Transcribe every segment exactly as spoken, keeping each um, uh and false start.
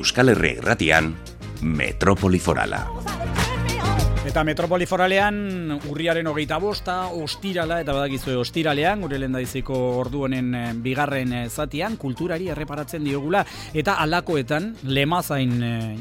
Euskal Herria Irratian, Metropoli Forala. Eta Metropoli Foralean urriaren hogeita bosta, ostirala, eta badakizue ostiralean, gure lehendaiziko ordu honen bigarren zatian, kulturari erreparatzen diogula, eta alakoetan lemazain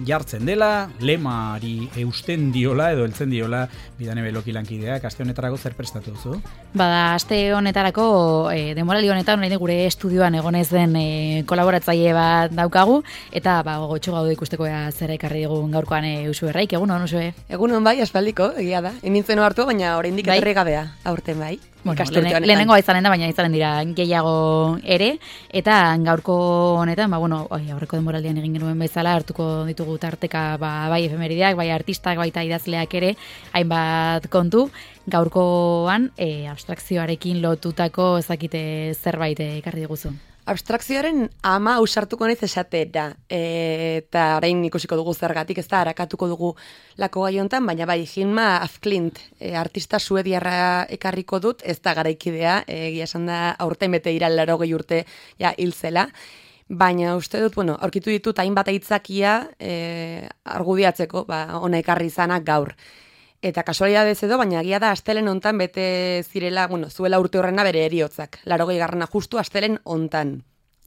jartzen dela, lemari eusten diola, edo heltzen diola, Bidane Beloki lankideak. Aste honetarako zer prestatu duzu? Bada, aste honetarako, e, denboraldi honetan, orain gure estudioan egonez den e, kolaboratzaile bat daukagu, eta ba, gotxo gaude ikusteko zer ekarri dugun gaurkoan e, Usu Erraik, egunon, Usue? Egunon bai, aspaldiko, egia da. Enintzen hartu, baina oraindik bai? etorri gabea, aurten bai. Bueno, lehen, lehenengoa izanen da, baina izanen dira gehiago ere, eta gaurko honetan, ba, bueno, oi, aurreko denboraldian egin genuen bezala, hartuko ditugu tarteka ba, bai efemerideak, bai artistak, baita idazleak ere, hainbat kontu, gaurkoan e, abstrakzioarekin lotutako ezakite zerbait ekarri diguzu. Abstrakzioaren ama ausartuko naiz esatera, e, eta orain ikusiko dugu zergatik, ez da, harakatuko dugu lako gai hontan, baina bai, Hilma af Klint, e, artista suediarra ekarriko dut, ez da garaikidea, egia esan da aurten bete ira laurogei urte ja hil zela, baina uste dut, bueno, aurkitu ditut hainbat aitzakia e, argudiatzeko, ba, ona ekarri izanak gaur. Eta kasualidadez edo, baina agia da astelen hontan bete zirela, bueno, zuela urte horrena bere heriotzak. Laurogei garrana justu astelen hontan.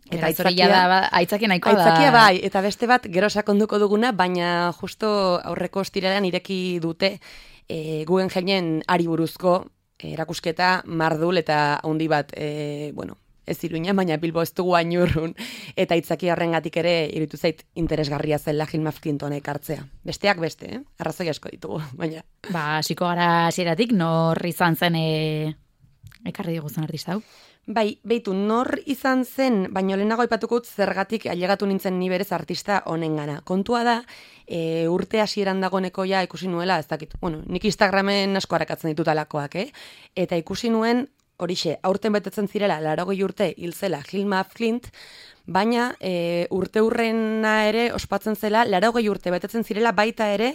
Eta aitzakia da, aitzakia nahikoa da. Aitzakia bai, eta beste bat gero sakonduko duguna, baina justo aurreko ostiralean ireki dute e, Guggenheimen ari buruzko erakusketa mardul eta handi bat, e, bueno, ez Iruña, baina Bilbo ez dugu ainurrun, eta aitzaki horrengatik ere iruditu zait interesgarria zela Hilma af Klint hona ekartzea. Besteak beste, eh? Arrazoi asko ditugu, baina. Ba, hasiko gara hasieratik, nor izan zen e... ekarri diguzun artista hau? Bai, beitu, nor izan zen, baino lehenago aipatuko dut zergatik ailegatu nintzen ni berez artista honengana. Kontua da, e, urte hasieran dagoneko ja ikusi nuela, ez dakit, bueno, nik Instagramen asko harakatzen ditut alakoak, eh? Eta ikusi nuen, horixe, aurten betetzen zirela, laurogei urte hil zela Hilma af Klint, baina e, urte hurrena ere ospatzen zela, laurogei urte betetzen zirela baita ere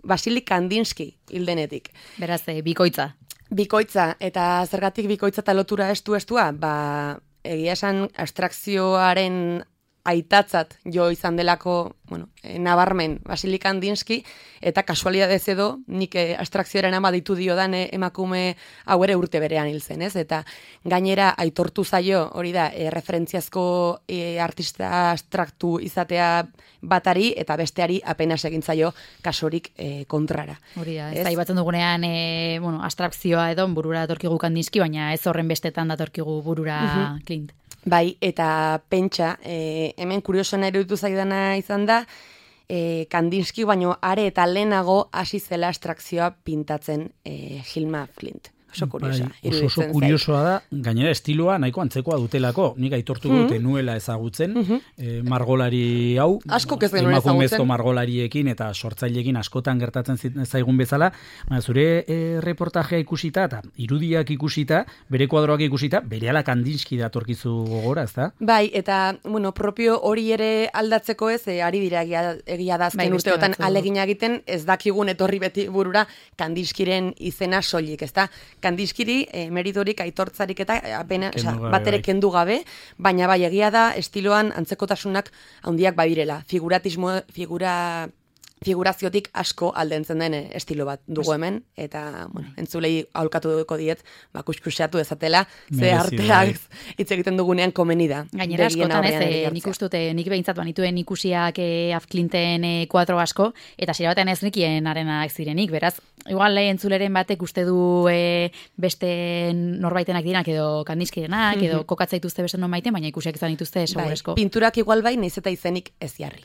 Vasili Kandinsky hildenetik. Beraz, e, bikoitza. Bikoitza, eta zergatik bikoitza eta lotura estu-estua, ba, egia esan abstrakzioaren aitatzat jo izan delako, bueno, e, nabarmen Vasili Kandinsky, eta kasualidadez edo, nik e, abstrakzioaren ama ditu diodan e, emakume hau ere urte berean hil zen, ez? Eta gainera aitortu zaio, hori da, e, referentziazko e, artista abstraktu izatea batari, eta besteari apenas egin zaio kasurik e, kontrara. Hori da, ez aipatzen dugunean, e, bueno, abstrakzioa edo burura datorkigu Kandinsky, baina ez horren bestetan datorkigu burura uh-huh. Klint. Bai, eta pentsa, e, hemen kuriosoena eruditu zaidana izan da, e, Kandinsky baino are eta lehenago hasi zela abstrakzioa pintatzen e, Hilma af Klint. Oso kuriosa. Bai, oso, oso kuriosoa da, gainera estiloa nahiko antzekoa dutelako. Nik aitortu dute mm-hmm. nuela ezagutzen, mm-hmm. e, margolari hau, asko ez denuen ezagutzen. Emakumezko margolariekin eta sortzaileekin askotan gertatzen zaigun bezala, baina zure e, reportajea ikusita eta irudiak ikusita, bere kuadroak ikusita, berehala Kandinsky datorkizu gogora, ezta? Bai, eta bueno, propio hori ere aldatzeko ez, e, ari dira egia, egia da azken bai, urteotan alegina egiten, ez dakigun etorri beti burura Kandinskyren izena soilik, ezta? Kandinskyri e, meritorik aitortzarik eta apena, oza, bat ere kendu gabe, baina bai egia da estiloan antzekotasunak handiak badirela. Figuratismo, figura, figuraziotik asko aldentzen den estilo bat dugu hemen, eta bueno, entzulei aholkatu duko diet, ba, kuskuseatu dezatela, ze arteak hitz egiten dugunean komeni da. Gainera askotan ez, e, nik ustute, nik behintzat banituen ikusiak e, af Klinten e, kuadro asko, eta zira batean ez nikien arenak zirenik, beraz, igual entzuleren batek uste du e, beste norbaitenak direnak edo Kandinskyrenak, edo kokatzaituzte beste norbaiten, baina ikusiak izan dituzte seguresko. Bai, pinturak igual bai, naiz eta izenik ez jarri.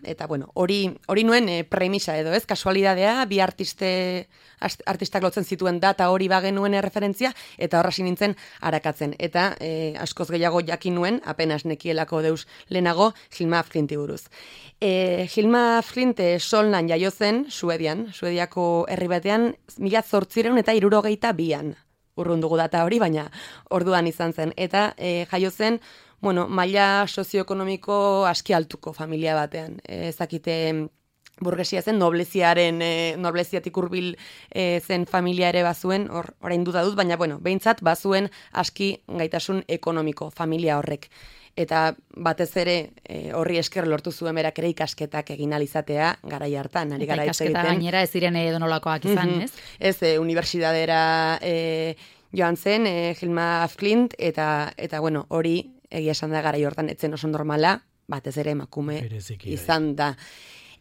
Eta bueno, hori hori nuen e, premisa edo, ez? Kasualidadea, bi artiste artistak lotzen zituen data hori bagenuen referentzia, eta horra nintzen arakatzen. Eta e, askoz gehiago jakin nuen, apenas nekielako deus lehenago, Hilma af Klinti buruz. E, Hilma af Klint Solnan jaio zen, Suedian, Suediako herri batean, mila zortzireun eta hirurogeita bian. Urrun dugu data hori, baina orduan izan zen. Eta e, jaio zen, bueno, maila sozioekonomiko aski altuko familia batean. E, ezakite burgesia zen, nobleziaren, e, nobleziatik hurbil e, zen familia ere bazuen, hor, orain duda dut, baina bueno, behintzat bazuen aski gaitasun ekonomiko familia horrek. eta batez ere e, horri esker lortu zuen berak ere ikasketak egin alizatea garai hartan, ari gara hitz egiten. Ikasketa gainera ez ziren edonolakoak izan, mm-hmm. ez? Ez, e, unibertsitatera e, joan zen, e, Hilma af Klint, eta, eta bueno, hori egia esan da garai hortan etzen oso normala, batez ere emakume Bereziki, izan da.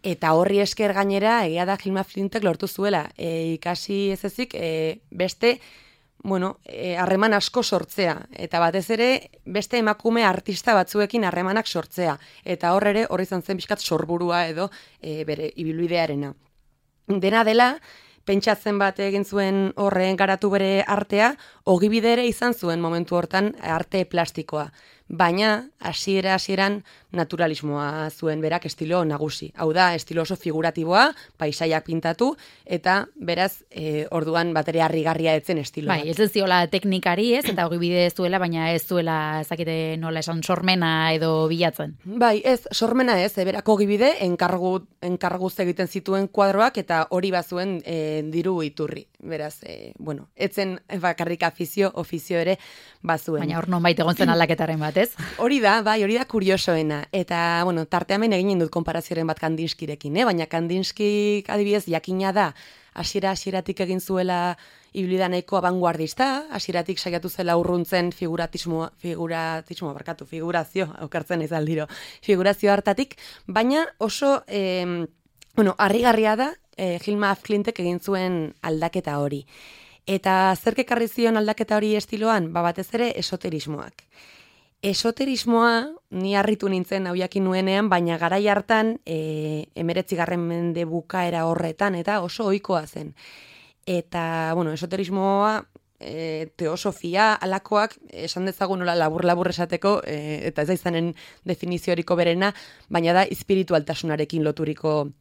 Eta horri esker gainera, egia da Hilma Flintek lortu zuela, e, ikasi ez ezik, e, beste, bueno, harreman asko sortzea, eta batez ere beste emakume artista batzuekin harremanak sortzea, eta hor ere horri izan zen bizkat sorburua edo e, bere ibilbidearena. Dena dela, pentsatzen bat egin zuen horren garatu bere artea, ogibide ere izan zuen momentu hortan arte plastikoa. Baina, hasiera hasieran naturalismoa zuen berak estilo nagusi. Hau da, estilo oso figuratiboa, paisaiak pintatu, eta beraz, e, orduan batere harrigarria etzen estilo. Bai, ez ez ziola teknikari ez, eta ogibide zuela, baina ez zuela, ezakite nola esan, sormena edo bilatzen. Bai, ez, sormena ez, e, berak ogibide, enkargu, enkarguz egiten zituen kuadroak, eta hori bazuen e, diru iturri. Beraz, e, bueno, etzen bakarrik afizio, ofizio ere bazuen. Baina hor non baita egon zen aldaketaren bat, ez? Hori da, bai, hori da kuriosoena. Eta, bueno, tarteamen eginen dut konparazioaren bat Kandinskirekin, eh? Baina Kandinskik adibidez jakina da, hasiera hasieratik egin zuela ibilida nahiko abanguardista, hasieratik saiatu zela urruntzen figuratismo, figuratismo, barkatu, figurazio, aukartzen ez aldiro, figurazio hartatik, baina oso, eh, bueno, harrigarria da, eh, Hilma af Klintek egin zuen aldaketa hori. Eta zerk ekarri zion aldaketa hori estiloan, ba batez ere esoterismoak. Esoterismoa, ni harritu nintzen hau jakin nuenean, baina garai hartan e, emeretzigarren mende bukaera horretan, eta oso ohikoa zen. Eta, bueno, esoterismoa, e, teosofia, alakoak, esan dezagun nola labur-labur esateko, e, eta ez da izanen definizioriko berena, baina da espiritualtasunarekin loturiko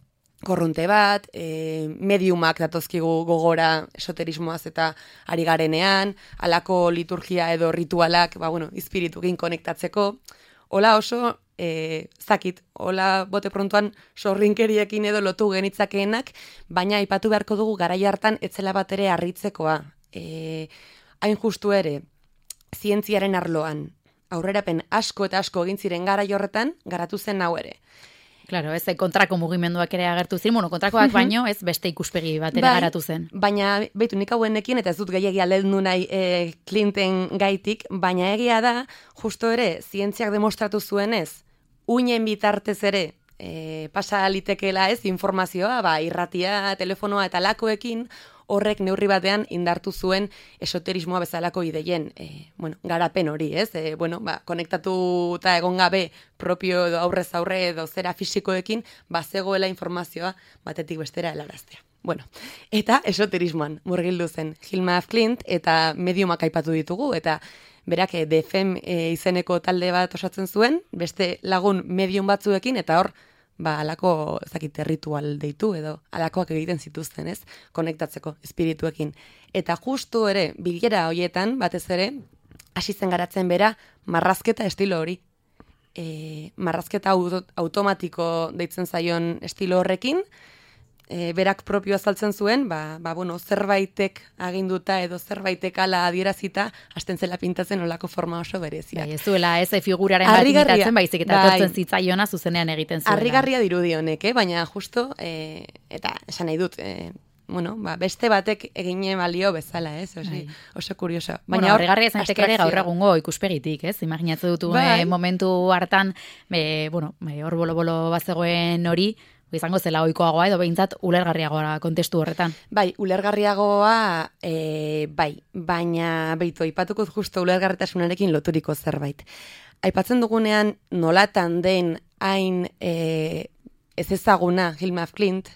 korronte bat, e, mediumak datozkigu gogora esoterismoaz eta ari garenean, alako liturgia edo ritualak, ba, bueno, espiritukin konektatzeko, hola oso, e, zakit, hola bote prontuan sorrinkeriekin edo lotu genitzakeenak, baina aipatu beharko dugu garai hartan etzela bat ere harritzekoa. E, hain justu ere, zientziaren arloan, aurrerapen asko eta asko egin ziren garai horretan, garatu zen hau ere. Claro, ez kontrako mugimenduak ere agertu ziren, bueno, kontrakoak baino, ez beste ikuspegi bat ere bai, garatu zen. Baina, behitu, nik hauenekin, eta ez dut gehiagia lehendu nahi e, Clinton gaitik, baina egia da, justo ere, zientziak demostratu zuenez, uinen bitartez ere, e, pasa litekeela ez, informazioa, ba, irratia, telefonoa eta lakoekin, horrek neurri batean indartu zuen esoterismoa bezalako ideien, e, bueno, garapen hori, ez? E, bueno, ba, konektatuta egon gabe propio edo aurrez aurre edo zera fisikoekin, bazegoela informazioa batetik bestera helaraztea. Bueno, eta esoterismoan murgildu zen Hilma af Klint eta mediumak aipatu ditugu, eta berak e, D F E M e, izeneko talde bat osatzen zuen, beste lagun medium batzuekin, eta hor, ba, alako, ezakit, ritual deitu edo alakoak egiten zituzten, ez? Konektatzeko espirituekin. Eta justu ere, bilera hoietan, batez ere, hasi zen garatzen bera, marrazketa estilo hori. E, marrazketa auto, automatiko deitzen zaion estilo horrekin, e, berak propio azaltzen zuen, ba, ba, bueno, zerbaitek aginduta edo zerbaitek ala adierazita, hasten zela pintatzen olako forma oso bereziak. Bai, ez duela, ez figuraren bat imitatzen, baizik eta bai, etortzen zitzaiona zuzenean egiten zuela. Harrigarria dirudi honek, eh? Baina justo, e, eta esan nahi dut, e, bueno, ba, beste batek egine balio bezala, ez? Oso, bai, oso kurioso. Baina bueno, harrigarria zaiteke ere gaur egungo ikuspegitik, ez? Imaginatzen dutu bai, eh, momentu hartan, e, bueno, hor bolo-bolo bazegoen hori, izango zela ohikoagoa edo behintzat ulergarriagoa kontestu horretan. Bai, ulergarriagoa, e, bai, baina beitu, aipatuko justo ulergarritasunarekin loturiko zerbait. Aipatzen dugunean nolatan den hain e, ez ezaguna Hilma af Klint,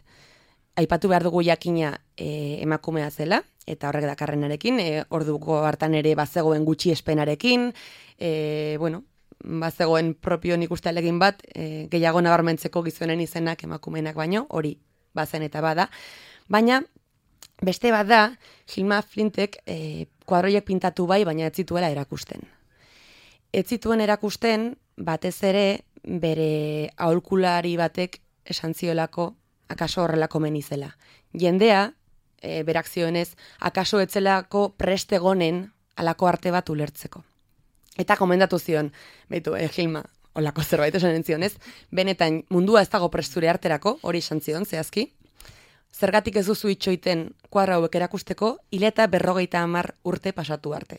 aipatu behar dugu jakina e, emakumea zela, eta horrek dakarrenarekin, e, orduko hartan ere bazegoen gutxi espenarekin, e, bueno, bazegoen propio nik uste alegin bat, e, gehiago nabarmentzeko gizonen izenak emakumeenak baino, hori bazen eta bada. Baina, beste bat da, Hilma af Klintek e, kuadroiek pintatu bai, baina ez zituela erakusten. Ez zituen erakusten, batez ere, bere aholkulari batek esan ziolako, akaso horrelako menizela. Jendea, e, berak zioenez, akaso etzelako prestegonen alako arte bat ulertzeko. Eta komendatu zion, behitu, eh, Gilma, olako zerbait esan entzion, ez? Benetan, mundua ez dago presture arterako, hori esan zion, zehazki. Zergatik ez duzu itxoiten kuadro hauek erakusteko, hil eta berrogeita hamar urte pasatu arte.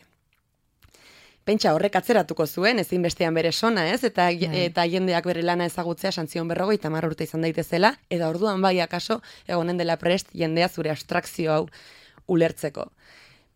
Pentsa horrek atzeratuko zuen, ezin bestean bere sona, ez? Eta, eta jendeak bere lana ezagutzea santzion berrogeita hamar urte izan daitezela, eta orduan bai akaso, egonen dela prest, jendea zure abstrakzio hau ulertzeko.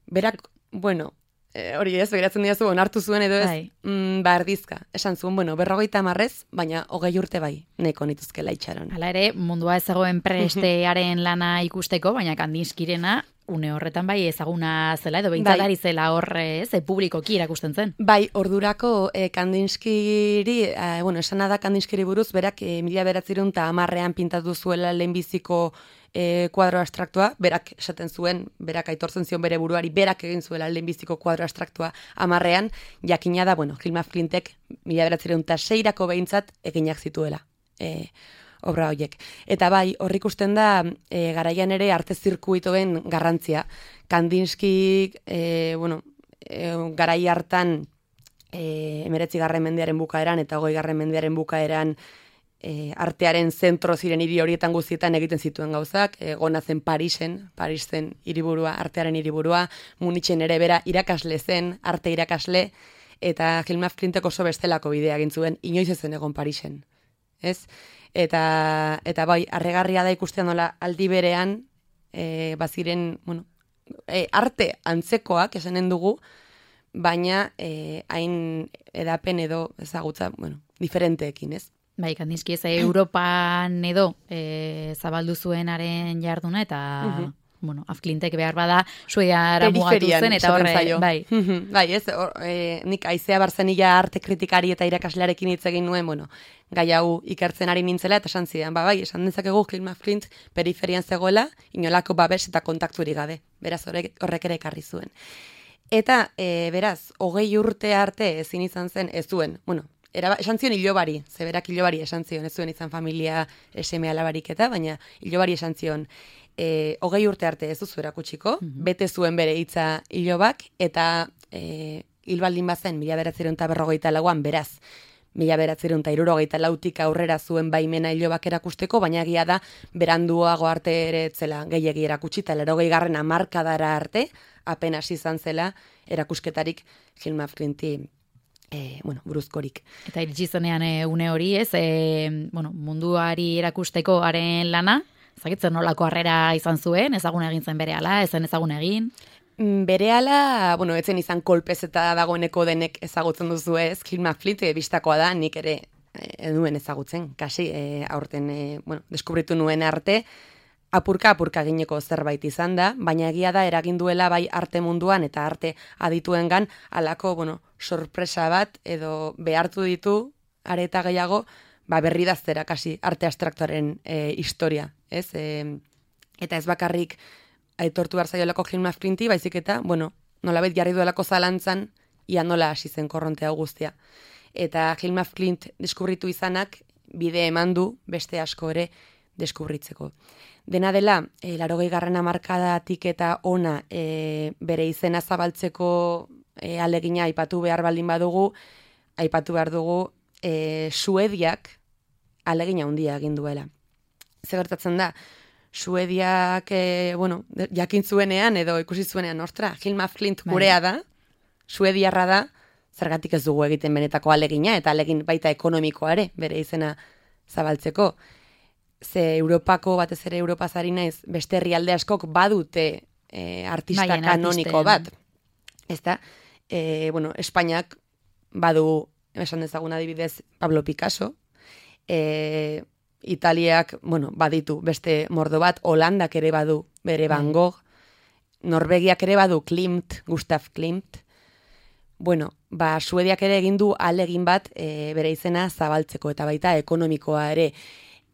Berak, bueno, e, hori ez, begiratzen diazu, onartu zuen edo ez, mm, ba erdizka. Esan zuen, bueno, berrogeita hamarrez, baina hogei urte bai, neko nituzkela itxaron. Hala ere, mundua ezagoen prestearen lana ikusteko, baina Kandinskirena, une horretan bai ezaguna zela, edo behintzatari bai. Zela horre, ez, publikoki irakusten zen. Bai, ordurako eh, Kandinskiri, eh, bueno, esana da Kandinskiri buruz, berak eh, mila beratzerun eta hamarrean pintatu zuela lehenbiziko eh, kuadro abstraktua, berak esaten zuen, berak aitortzen zion bere buruari, berak egin zuela lehenbiziko kuadro abstraktua hamarrean, jakina da, bueno, Hilma Flintek mila beratzerun eta seirako behintzat eginak zituela. Eh, obra horiek. Eta bai, hor ikusten da, e, garaian ere arte zirkuitoen garrantzia. Kandinski, e, bueno, e, garai hartan, e, emeretzi garren mendearen bukaeran eta hogei garren mendearen bukaeran e, artearen zentro ziren hiri horietan guztietan egiten zituen gauzak, egona zen Parisen, Paris zen hiriburua, artearen hiriburua, Munitzen ere bera irakasle zen, arte irakasle, eta Hilma Flintek oso bestelako bidea egin zuen, inoiz ezen egon Parisen. Ez? Eta, eta bai, arregarria da ikusten nola aldi berean, e, baziren, bueno, e, arte antzekoak esanen dugu, baina e, hain edapen edo ezagutza, bueno, diferenteekin, ez? Bai, Kandinski ez, Europan edo e, zabaldu zuenaren jarduna, eta... Uh-huh. Bueno, Afklintek behar bada Suediara mugatu zen, eta horre, bai. Bai, ez, or, e, nik aizea barzenila arte kritikari eta irakaslearekin hitz egin nuen, bueno, gai hau ikertzen ari nintzela, eta esan zidan, ba, bai, esan dezakegu Hilma Flint periferian zegoela, inolako babes eta kontakturik gabe, beraz horrek, horrek ere ekarri zuen. Eta, e, beraz, hogei urte arte ezin izan zen, ez zuen, bueno, Era, esan zion ilobari, zeberak ilobari esan zion, ez zuen izan familia eseme alabarik eta, baina ilobari esan zion, e, hogei urte arte ez duzu erakutsiko, mm-hmm. bete zuen bere hitza ilobak, eta e, hilbaldin bazen, mila beratzerun eta berrogeita lauan, beraz, mila beratzerun eta irurogeita lautik aurrera zuen baimena ilobak erakusteko, baina egia da, beranduago arte ere etzela gehiegi erakutsi, eta lerogei garren hamarkadara arte, apenas izan zela erakusketarik Hilma Flinti E, bueno, buruzkorik. Eta iritsi zenean e, une hori, ez, e, bueno, munduari erakusteko haren lana, ezagitzen nolako harrera izan zuen, ezagun egin zen berehala, ezen ezagun egin? Berehala, bueno, etzen izan kolpez eta dagoeneko denek ezagutzen duzu ez, Hilma Flint e, bistakoa da, nik ere e, nuen ezagutzen, kasi, e, aurten, e, bueno, deskubritu nuen arte, apurka-apurka gineko zerbait izan da, baina egia da eragin duela bai arte munduan eta arte adituengan halako, bueno, sorpresa bat edo behartu ditu areta gehiago, ba berri daztera kasi arte abstraktuaren e, historia, ez? E, eta ez bakarrik aitortu behar zaiolako Hilma Flinti, baizik eta, bueno, nolabait jarri duelako zalantzan ia nola hasi zen korronte hau guztia. Eta Hilma Flint deskubritu izanak bide eman du beste asko ere deskubritzeko. Dena dela, e, larogei garren hamarkadatik eta ona e, bere izena zabaltzeko e, alegina aipatu behar baldin badugu, aipatu behar dugu e, Suediak alegina handia egin duela. Zer gertatzen da, Suediak, e, bueno, jakin zuenean edo ikusi zuenean, ostra, Hilma Flint gurea da, suediarra da, zergatik ez dugu egiten benetako alegina, eta alegin baita ekonomikoa ere, bere izena zabaltzeko. Ze Europako, batez ere Europaz ari naiz, beste herrialde askok badute e, artista Baien, kanoniko artiste, bat. Ezta? E, bueno, Espainiak badu, esan dezagun adibidez, Pablo Picasso, e, Italiak, bueno, baditu beste mordo bat, Holandak ere badu bere Van Gogh, Norvegiak ere badu Klimt, Gustav Klimt. Bueno, ba, Suediak ere egin du alegin bat e, bere izena zabaltzeko, eta baita ekonomikoa ere.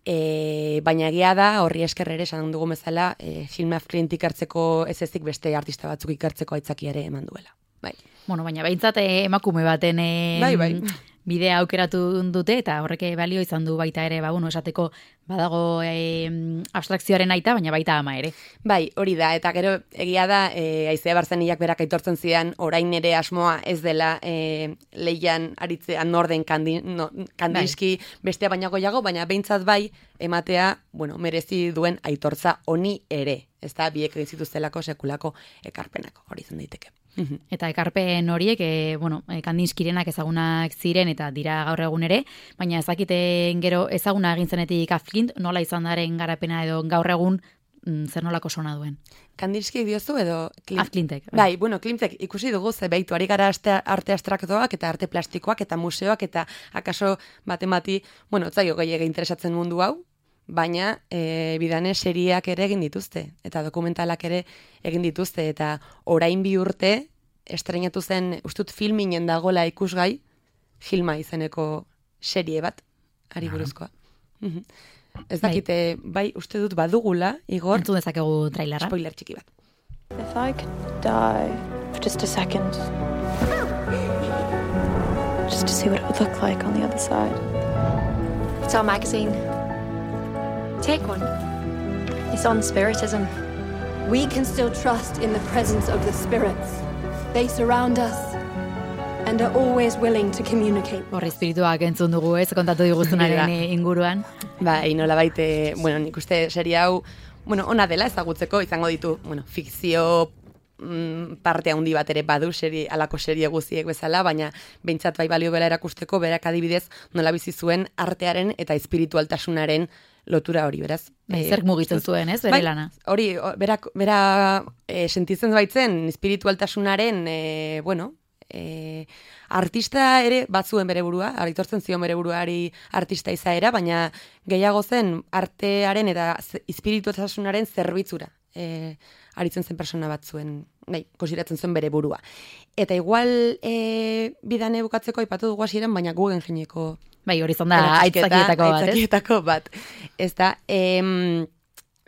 E, baina egia da, horri esker ere, esan dugu bezala, e, Hilma Flint ikartzeko ez ezik beste artista batzuk ikartzeko aitzakia ere eman duela. Bai. Bueno, baina behintzat emakume baten e, bai, bai. bidea aukeratu dute, eta horrek balio izan du baita ere, ba, bueno, esateko badago e, abstrakzioaren aita, baina baita ama ere. Bai, hori da, eta gero egia da, e, Aizea Barzeniak berak aitortzen zidan, orain ere asmoa ez dela e, leian aritzean norden kandi, no, Kandinsky bai. Bestea baina goiago, baina behintzat bai, ematea, bueno, merezi duen aitortza honi ere. Ez da, biek egin zituztelako sekulako ekarpenako, hori zen daiteke. Eta ekarpen horiek, e, bueno, Kandinskyrenak ezagunak ziren eta dira gaur egun ere, baina ezakiten gero ezaguna egin zenetik Afklint, nola izan daren garapena edo gaur egun mm, zer nolako sona duen. Kandinsky diozu edo... Klimt... Afklintek. Bai, bai bueno, Klimtek ikusi dugu ze behitu, ari gara arte, arte abstraktoak eta arte plastikoak eta museoak eta akaso batemati, bueno, zaio gehiago interesatzen mundu hau, baina e, bidane seriak ere egin dituzte, eta dokumentalak ere egin dituzte, eta orain bi urte estrenatu zen, ustut filminen dagola ikusgai, Hilma izeneko serie bat, ari buruzkoa. Ez dakite, bai, uste dut badugula, Igor. Entzun dezakegu trailerra. Spoiler txiki bat. If I could die for just a second, just to see what it would look like on the other side. It's our magazine. Take one. It's on spiritism. We can still trust in the presence of the spirits. They surround us and are always willing to communicate. Horri espirituak entzun dugu ez, kontatu diguzunaren inguruan. Ba, inola baite, bueno, nik uste serie hau, bueno, ona dela ezagutzeko, izango ditu, bueno, fikzio mm, parte handi bat ere badu serie, alako serie guziek bezala, baina behintzat bai balio bela erakusteko, berak adibidez nola bizi zuen artearen eta espiritualtasunaren lotura hori, beraz. Bai, zer mugitzen zuen, ez, bere bai, lana? Hori, berak, bera e, sentitzen baitzen espiritualtasunaren, e, bueno, e, artista ere batzuen bere burua, aritortzen zion bere buruari artista izaera, baina gehiago zen artearen eta espiritualtasunaren zerbitzura. E, aritzen zen persona batzuen, nahi, konsideratzen zuen bere burua. Eta igual e, bidane bukatzeko aipatu dugu hasieran, baina Guggenheimeko bai, hori zon da aitzakietako bat, aitzakietako bat. Ez da, em,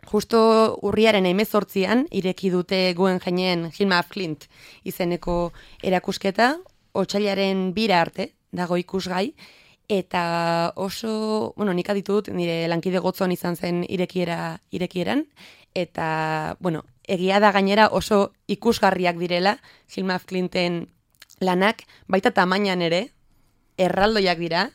justo urriaren hemezortzian ireki dute Guggenheimen Hilma Afklint izeneko erakusketa, otsailaren bira arte dago ikusgai, eta oso, bueno, nik aditut, nire lankide gotzon izan zen irekiera, irekieran, eta, bueno, egia da gainera oso ikusgarriak direla Hilma Afklinten lanak, baita tamainan ere, erraldoiak dira,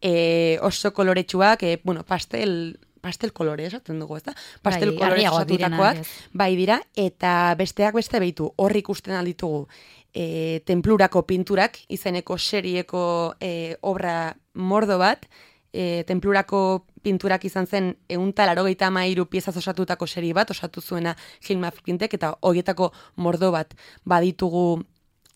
e, oso koloretsuak, e, bueno, pastel, pastel kolore esaten dugu, ez da? Pastel bai, kolore esatutakoak, bai dira, eta besteak beste behitu, horri ikusten alditugu, e, tenplurako pinturak, izeneko serieko e, obra mordo bat, e, tenplurako pinturak izan zen ehunta laurogeita hamairu piezaz osatutako serie bat, osatu zuena Hilma Afklintek, eta horietako mordo bat baditugu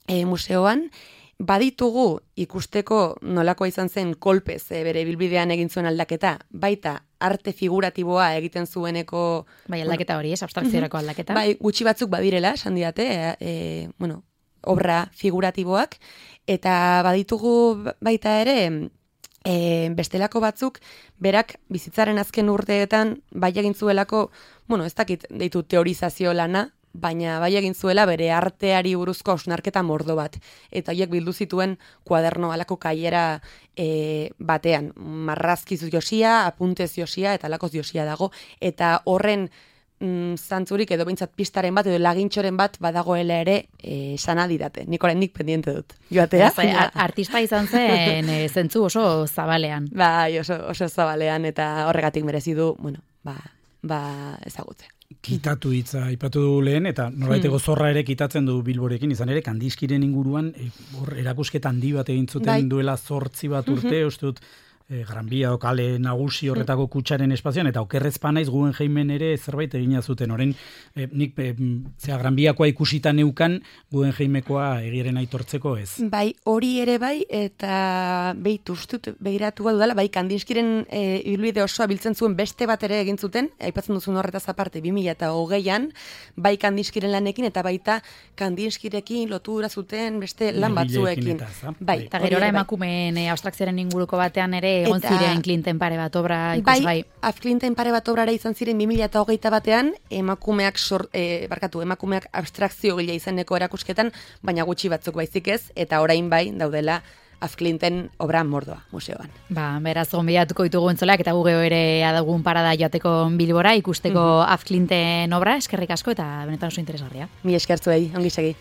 e, museoan, baditugu ikusteko nolakoa izan zen kolpez e, bere bilbidean egin zuen aldaketa, baita arte figuratiboa egiten zueneko... Bai, aldaketa hori, ez, abstrakziorako aldaketa. Bai, gutxi batzuk badirela, esan didate, e, e, bueno, obra figuratiboak, eta baditugu baita ere, e, bestelako batzuk, berak bizitzaren azken urteetan, bai egin zuelako, bueno, ez dakit deitu teorizazio lana, baina bai egin zuela bere arteari buruzko hausnarketa mordo bat. Eta horiek bildu zituen kuaderno alako kaiera e, batean. Marrazkiz josia, apuntez josia eta alakoz josia dago. Eta horren mm, zantzurik edo behintzat pistaren bat edo lagintxoren bat badagoela ere e, sana didate. Nik oraindik pendiente dut. Joatea? Ja, artista izan zen e, zentzu oso zabalean. Bai, oso, oso zabalean eta horregatik merezi du, bueno, ba, ba ezagutzea. Kitatu hitza aipatu du lehen, eta norbaiteko zorra ere kitatzen du Bilborekin, izan ere, Kandinskyren inguruan, e, hor erakusketa handi bat egin zuten bai. Duela zortzi bat urte, mm-hmm. uste dut, e, Gran Bia o kale nagusi horretako kutsaren espazioan, eta okerrezpa naiz Guggenheimen ere zerbait egina zuten, orain, e, nik, e, zera, Gran Biakoa ikusita neukan, Guggenheimekoa egiren aitortzeko ez. Bai, hori ere bai, eta behitu ustut, behiratu dudala, bai, Kandinskyren e, ibilbide osoa biltzen zuen beste bat ere egin zuten, aipatzen duzun horretaz aparte, bi mila hogeian, bai Kandinskyren lanekin, eta baita Kandinskyrekin lotura zuten beste lan batzuekin. Eta, bai, eta gerora emakumeen e, abstrakzioaren inguruko batean ere egon eta, ziren Klinten pare bat obra ikusgai. Bai, Afklinten pare bat obrara izan ziren bi mila hogeita batean, emakumeak sor, e, barkatu, emakumeak abstrakzio gila izeneko erakusketan, baina gutxi batzuk baizik ez, eta orain bai daudela Azklinten obra mordoa museoan. Ba, beraz, gonbidatuko ditugu entzolak, eta gu geho ere adagun parada joateko Bilbora, ikusteko mm -hmm. Azklinten obra, eskerrik asko, eta benetan oso interesgarria. Mi eskertzuei, ongi segi.